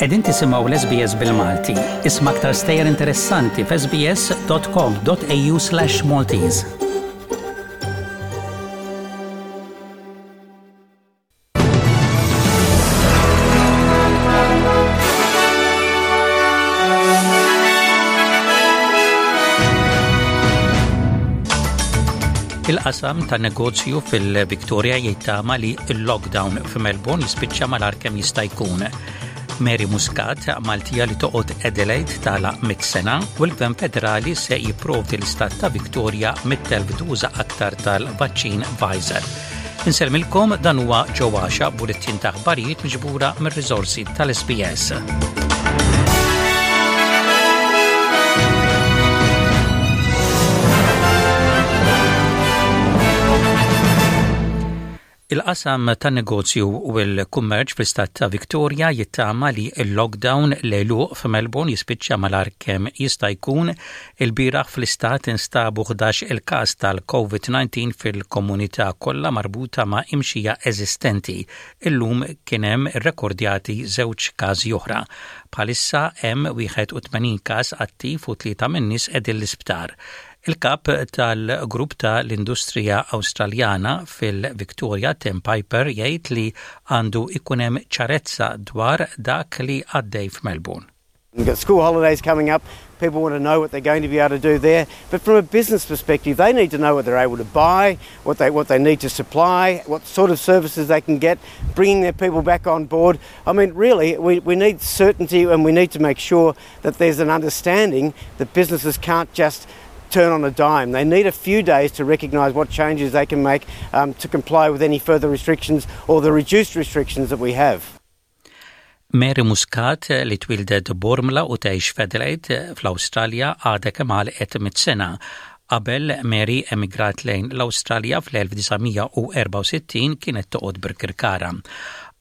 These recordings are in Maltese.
Qegħdin tisimgħu l-SBS bil-Malti. Isma' aktar stejjer interessanti f'sbs.com.au/Maltese. Il-qasam ta' negozju fil-Victoria jittama li l-lockdown f'Melbourne jispiċċa malar kemm jista' jkun. Mary Muscat, Maltija li toqgħod Adelaide tala mit sena u l-Gvern Federali se jipprovdi l-istat ta' Victoria mit-telf duża aktar tal-vaċċin Pfizer. Insellmilkom dan huwa Joe Għaxa bulettin ta' aħbarijiet miġbura mir-riżorsi tal-SBS. Il-qasam tan-negozju u l-kummerċ fl-istat ta' Victoria jittama li l-lockdown l-għeluq f'Melbourne jispiċċa malar kemm jista' jkun. Ilbieraħ fl-istat instabu 11 il-każ tal-COVID-19 fil-komunità kollha marbuta ma' imxija eżistenti. Illum kien hemm irrekordjati żewġ każi oħra. Bħalissa hemm 81 każ attiv u tlieta min-nies qegħdin l-isptar. Il-kap tal-grupp ta' l-industrija Awstraljana fil-Victoria, Tim Piper, jgħid li għandu jkun hemm ċarezza dwar dak li għaddej f'Melbourne. We've got school holidays coming up, people want to know what they're going to be able to do there. But from a business perspective, they need to know what they're able to buy, what they, what they need to supply, what sort of services they can get, bringing their people back on board. I mean, really, we, we need certainty and we need to make sure that there's an understanding that businesses can't just turn on a dime. They need a few days to recognise what changes they can make um, to comply with any further restrictions or the reduced restrictions that we have. Mary Muscat li twildet Bormla u tgħix f'Adelaide fl-Awstralja għadha kemm għalqet mit sena. Qabel Mary emigrat lejn l-Awstralja fl-1964 kienet toqgħod Birkirkara.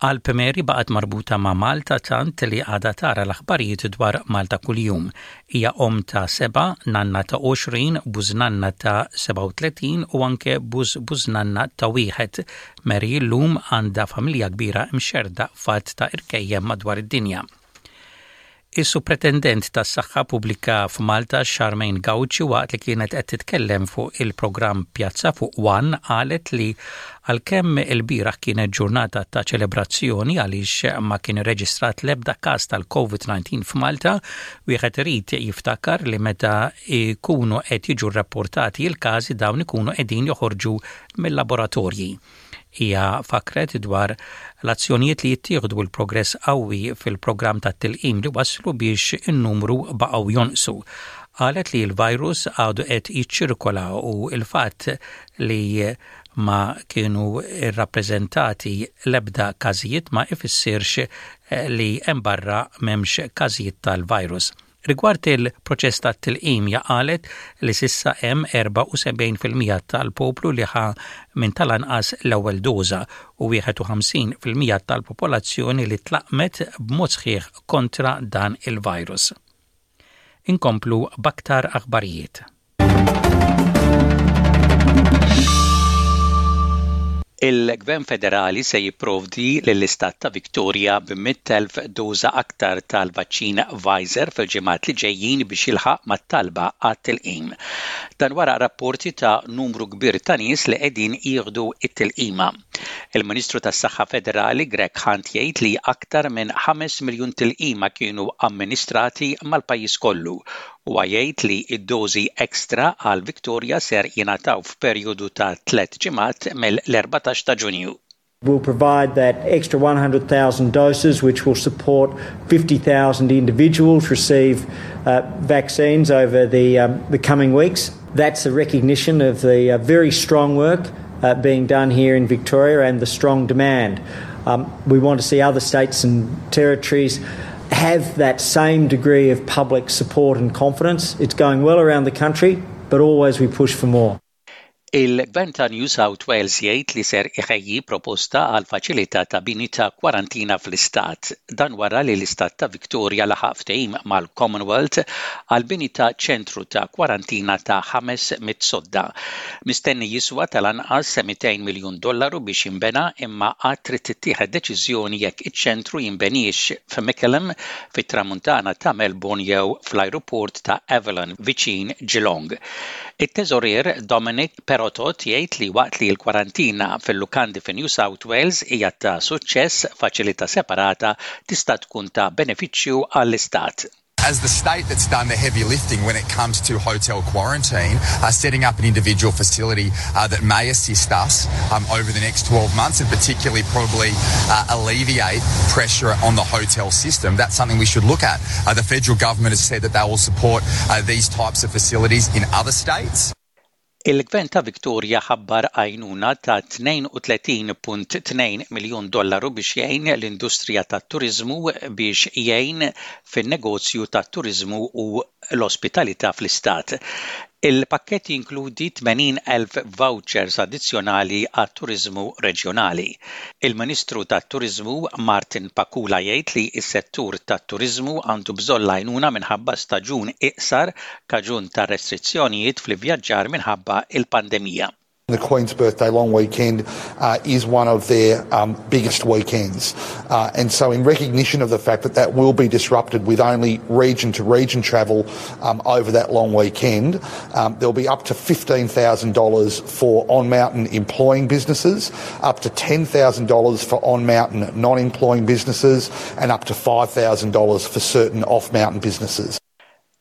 Qalb Mary baqgħet marbuta ma' Malta tant li għadha tara l-aħbarijiet dwar Malta kuljum. Hija omm ta' sebgħa, nanna ta' 20, bużnanna ta' 37 u anke buż-bużnanna ta' wieħed. Mary llum għandha familja kbira mxerrda f'għadd ta' irkejjem madwar id-dinja. Is-Supretendent tas-Saħħa Pubblika f'Malta Charmaine Gauci waqt li kienet qed titkellem fuq il-programm Pjazza fuq One qalet li għalkemm ilbieraħ kienet ġurnata ta' ċelebrazzjoni għaliex ma kien irreġistrat l-ebda każ tal-COVID-19 f'Malta, wieħed irid jiftakar li meta jkunu qed jiġu rrapportati l-każi dawn ikunu qegħdin joħorġu mill-laboratorji. Hija fakkret dwar l-azzjonijiet li jittieħdu u l-progress qawwi fil-programm tat-tilqim li wasslu biex in-numru baqgħu jonqsu. Qalet li l-virus għadu qed jiċċirkola u l-fatt li ma kienu rrappreżentati l-ebda każijiet ma ifissirx li hemm barra m'hemmx każijiet tal-virus. Rigward il-proċess tat-tilqim hija qalet li s'issa hemm 74% tal-poplu li ħa minn tal-anqas l-ewwel doża u 51% tal-popolazzjoni li tlaqqmet b'mod sħiħ kontra dan il-virus. Inkomplu b'aktar aħbarijiet. Il-Gvern Federali se jipprovdi lill-Istat ta' Victoria b'100,000 doża aktar tal-vaċċin Pfizer fil-ġimgħat li ġejjin biex jilħaq mat-talba għat-tilqim. Dan wara rapporti ta' numru kbir ta' nies li qegħdin jieħdu t-tilqima. Il-Ministru tas-Saħħa Federali Greg Hunt jgħid li aktar minn 5 miljun tilqima kienu amministrati mal-pajjiż kollu Huwa jgħid li d-dożi extra għal Victoria ser jingħataw f'perjodu ta' tlett ġimgħat mill-14 ta' Ġunju. We'll provide that extra 100,000 doses which will support 50,000 individuals receive uh, vaccines over the, um, the coming weeks. That's a recognition of the uh, very strong work uh, being done here in Victoria and the strong demand. Um, we want to see other states and territories have that same degree of public support and confidence. It's going well around the country, but always we push for more. Il-Gvern ta' New South Wales jgħid li ser iħejji proposta għal faċilità ta' bini ta' kwarantina fl-istat. Dan wara li l-istat ta' Victoria laħaq ftehim mal-Commonwealth għal bini ta' ċentru ta' kwarantina ta' 500 sodda. Mistenni jiswa tal-anqas 200 miljun dollaru biex jinbena imma għad trid tittieħed deċiżjoni jekk iċ-ċentru jinbeniex f'Mickleham fit-Tramuntana ta' Melbourne jew fl-ajruport ta' Avalon viċin Geelong. It-Teżorier Dominic Perrottet jgħid li waqt li l-kwarantina fil-lukandi fi New South Wales hija ta' suċċess, faċilità separata tista' tkun ta' benefiċċju għall-istat. As the state that's done the heavy lifting when it comes to hotel quarantine, uh, setting up an individual facility uh, that may assist us um, over the next 12 months and particularly probably uh, alleviate pressure on the hotel system, that's something we should look at. Uh, the federal government has said that they will support uh, these types of facilities in other states. Il-Gvern ta' Victoria ħabbar għajnuna ta' 32.2 miljun dollaru biex jgħin l-industrija tat-turiżmu biex jgħin fin-negozju tat-turiżmu u l-ospitalità fl-istat. Il-pakkett jinkludi 80,000 vouchers addizzjonali għat-turiżmu reġjonali. Il-Ministru tat-Turiżmu Martin Pakula jgħid li s-settur tat-turiżmu għandu bżonn l-għajnuna minħabba staġun iqsar kaġun ta' restrizzjonijiet fl-ivvjaġġar minħabba l-pandemija. The Queen's Birthday long weekend uh, is one of their um, biggest weekends. Uh, and so in recognition of the fact that that will be disrupted with only region to region travel um, over that long weekend, um, there'll be up to $15,000 for on-mountain employing businesses, up to $10,000 for on-mountain non-employing businesses, and up to $5,000 for certain off-mountain businesses.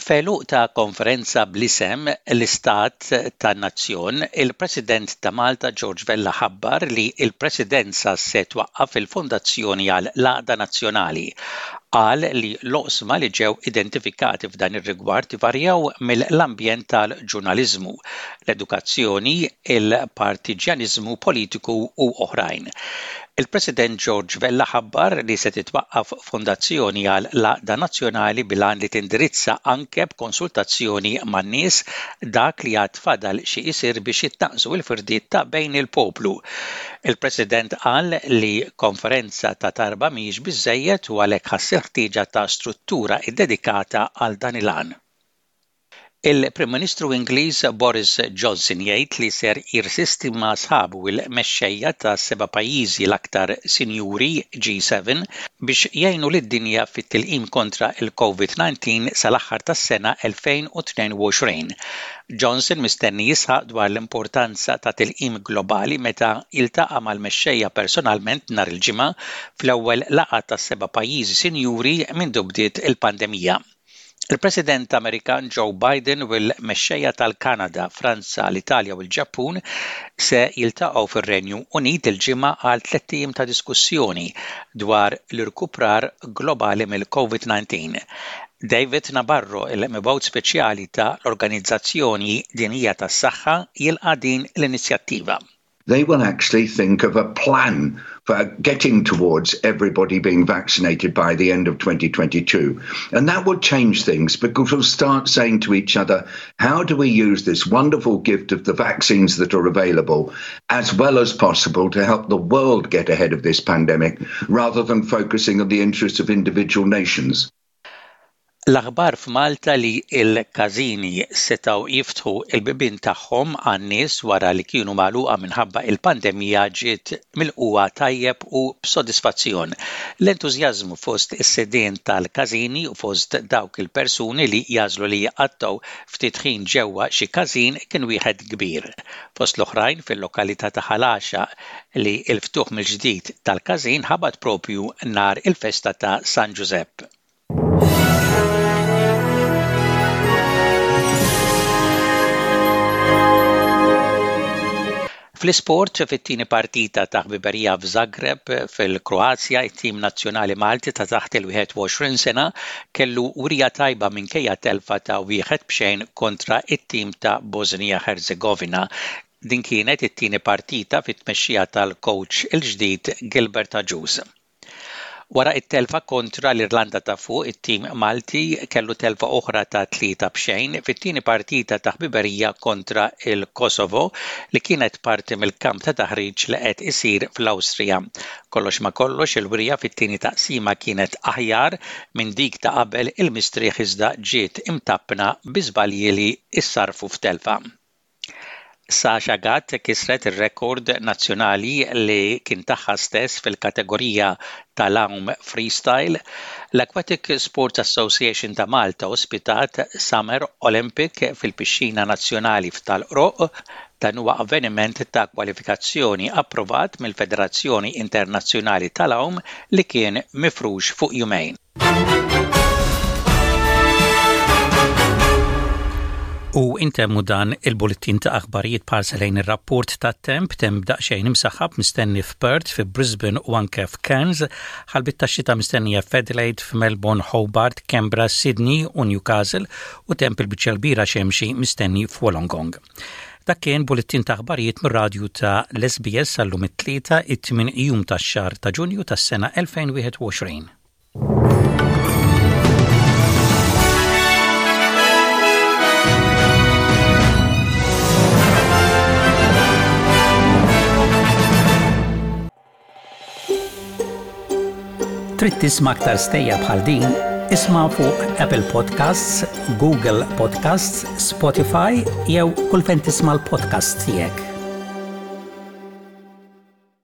F'għeluq ta' konferenza bl-isem L-Istat tan-Nazzjon, il-President ta' Malta George Vella ħabbar li l-Presidenza se twaqqaf il-Fondazzjoni għal l-Għaqda Nazzjonali. Qal li l-oqsma li ġew identifikati f'dan ir-rigward ivarjaw mill-ambjent tal-ġurnaliżmu, l-edukazzjoni, il-partiġjaniżmu politiku u oħrajn. Il-President George Vella ħabbar li se titwaqqaf fondazzjoni għal l-għaqda nazzjonali bil-għan li tindirizza anke b'konsultazzjoni man-nies dak li għad fadal xi jsir biex jitnaqqsu l-firdiet ta' bejn il-poplu. Il-President qal li konferenza ta' darba mhijiex biżżejjed u għalhekk ħass il-ħtieġa ta' struttura ddedikata għal dan il-għan. Il-Prim Ministru Ingliż Boris Johnson jgħid li ser jirsisti ma' sħabu l-mexxejja tas-seba' pajjiżi l-aktar sinjuri, G7, biex jgħinu lid-dinja fit-tilqim kontra l-Covid-19 sal-aħħar tas-sena 2022. Johnson mistenni jisħaq dwar l-importanza ta' tilqim globali meta jiltaqa' mal-mexxejja personalment nhar il-Ġimgħa fl-ewwel laqgħa tas-seba' pajjiżi sinjuri mindu bdiet il-pandemija. Il-President Amerikan Joe Biden u l-mexxejja tal-Kanada, Franza, l-Italja u l-Ġappun se jiltaqgħu fir-Renju Unit il-Ġimgħa għal tlett ijiem ta' diskussjoni dwar l-irkuprar globali mill-COVID-19. David Nabarro, il-Mibgħut Speċjali ta' l-Organizzazzjoni Dinjija tas-Saħħa, jilqa' din l-inizjattiva. They will actually think of a plan for getting towards everybody being vaccinated by the end of 2022. And that will change things because we'll start saying to each other, how do we use this wonderful gift of the vaccines that are available as well as possible to help the world get ahead of this pandemic rather than focusing on the interests of individual nations? L-aħbar f'Malta li l-każini setgħu jiftħu l-bibien tagħhom għan-nies wara li kienu magħluqa minħabba l-pandemija ġiet milqugħa tajjeb u b'sodisfazzjon. L-entużjażmu fost is-sidien tal-każini u fost dawk il-persuni li jagħżlu li jqattgħu ftit ħin ġewwa xi każin kien wieħed kbir. Fost l-oħrajn fil-lokalità ta' Ħal Għaxaq li l-ftuħ mill-ġdid tal-każin ħabat proprju nhar il-festa ta' San Ġużepp. Fl-isport, fit-tieni partita ta' ħbiberija f'Zagreb fil-Kroazja, it-tim nazzjonali Malti ta' taħt il-21 sena kellu wirja tajba minkejja telfa ta' wieħed b'xejn kontra t-tim ta' Bosnia Herzegovina. Din kienet it-tieni partita fit-tmexxija tal-kowċ il-ġdid Gilbert Agius. Wara t-telfa kontra l-Irlanda ta' Fuq, it-tim Malti kellu telfa oħra ta' 3 b'xejn fit-tieni partita ta' ħbiberija kontra l-Kosovo li kienet parti mill-kamp ta' taħriġ li qed isir fl-Awstrija. Kollox ma' kollox il-wirja fit-tieni taqsima kienet aħjar minn dik ta' qabel il-mistrieħ iżda ġiet imtappna bi żbalji li ssarrfu f'telfa. Sasha Gatt kisret ir-rekord nazzjonali li kien tagħha stess fil-kategorija tal-għawm freestyle. L-Aquatic Sports Association ta' Malta ospitat Summer Olympic fil-Pixxina Nazzjonali f'Tal-Qroqq. Dan huwa avveniment ta' kwalifikazzjoni approvat mill-Federazzjoni Internazzjonali tal-Għawm li kien mifrux fuq jumejn. U intemmu dan il-bullettin ta' aħbarijiet b'ħarsa lejn ir-rapport tat-temp, temp daqsxejn imsaħħab mistenni f'Perth, fi Brisbane u anke f'Cairns, ħalbiet ta' xita mistennija f'Adelaide, f'Melbourne, Hobart, Canberra, Sydney u Newcastle u temp il-biċċa l-kbira xemxi mistenni f'Wollongong. Dak kien bullettin ta' aħbarijiet mir-radju ta' l-SBS għallum it-Tlieta, it-tmien jum tax-xahar ta' Ġunju tas-sena 2021. Trid tisma' aktar stejjer bħal din? Isma' fuq Apple Podcasts, Google Podcasts, Spotify jew kull fejn tisma' l-podcasts tiegħek.